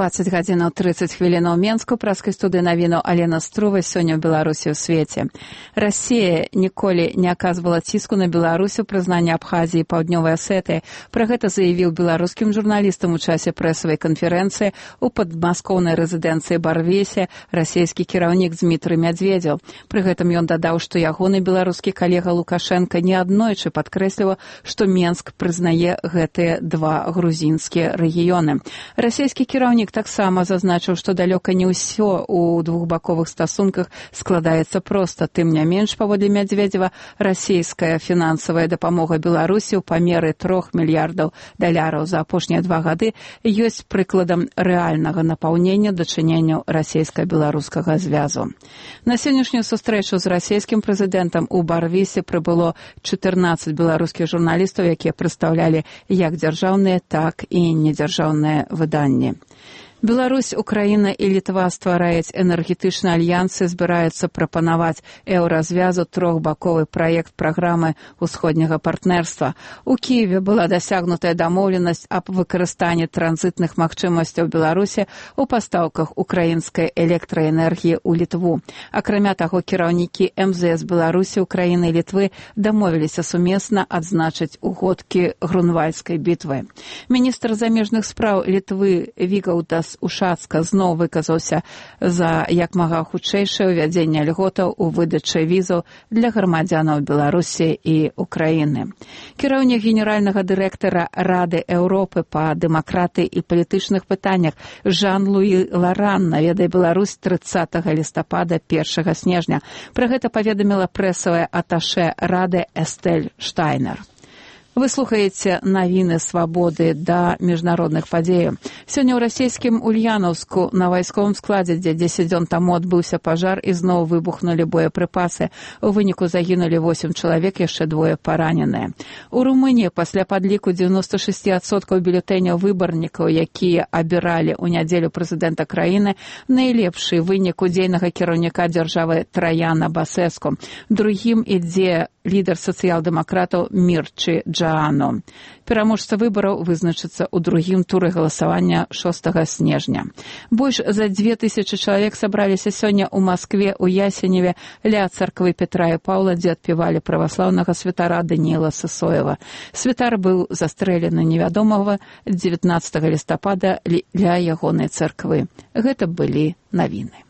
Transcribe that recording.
20 гадзінаў 30 хвілінаў у Менску, праскай студыі навіну Алена Струва. Сёння ў Беларусі ў свеце. Расія ніколі не аказвала ціску на Беларусь у прызнанні Абхазіі і Паўднёвай Асетыі. Пра гэта заявіў беларускім журналістам у часе прэсавай канферэнцыі ў падмаскоўнай рэзідэнцыі Барвесе расійскі кіраўнік Дмітрый Медведзеў. Пры гэтым ён дадаў, што ягоны беларускі калега Лукашенко неаднойчы падкрэсліў, што Менск прызнае гэтыя два грузінскія рэгіёны. Расійскі кіраўнік таксама зазначыў, што далёка не ўсё ў двухбаковых стасунках складаецца проста. Тым не менш, паводле Медведзева, расійская фінансавая дапамога Беларусі ў памеры $3 мільярдаў за апошнія 2 гады ёсць прыкладам рэальнага напаўнення дачыненняў расійска-беларускага звязу. На сённяшнюю сустрэчу з расійскім прэзідэнтам у Барвісе прыбыло 14 беларускіх журналістаў, якія прадстаўлялі як дзяржаўныя, так і недзяржаўныя выданні. Беларусь, Украіна і Літва ствараюць энергетычныя альянсы, збіраюцца прапанаваць еўразвязу трохбаковы праект праграмы ўсходняга партнерства. У Кіеве была дасягнутая дамоўленасць аб выкарыстанні транзітных магчымасцяў Беларусі ў пастаўках украінскай электраэнергіі ў Літву. Акрамя таго, кіраўнікі МЗС Беларусі, Украіны і Літвы дамовіліся сумесна адзначыць угодкі Грунвальскай бітвы. Міністр замежных спраў Літвы Вігаўдас Ушацка зноў выказаўся за як мага хутчэйшае ўвядзенне льготаў у выдачы візаў для грамадзянаў Беларусі і Украіны. Кіраўнік генеральнага дырэктара Рады Еўропы па дэмакратыі і палітычных пытаннях Жан-Луі Ларан наведае Беларусь 30 лістапада 1 снежня. Пра гэта паведаміла прэсавая аташэ Рады Эстэль Штайнер. Вы слухаеце навіны свабоды да міжнародных падзеяў. Сёння ў расійскім Ульянаўску на вайсковым складзе, дзе 10 дзён таму адбыўся пажар, і зноў выбухнулі боепрыпасы. У выніку загінулі 8 чалавек, яшчэ 2 параненыя. У Румыніі пасля падліку 96% бюлетэняў выбарнікаў, якія абіралі ў нядзелю прэзідэнта краіны, найлепшы вынік удзейнага кіраўніка дзяржавы Траяна Басэску. Другім ідзе лідар сацыял-дэмакратаў Мірчы Джаано. Пераможца выбараў вызначыцца ў другім туры галасавання 6 снежня. Больш за 2000 чалавек сабраліся сёння ў Маскве, у Ясеневе, ля царквы Петра і Паўла, дзе адпевалі праваслаўнага святара Даніэла Сысоева. Святар быў застрэлены невядомага 19 лістапада ля ягонай царквы. Гэта былі навіны.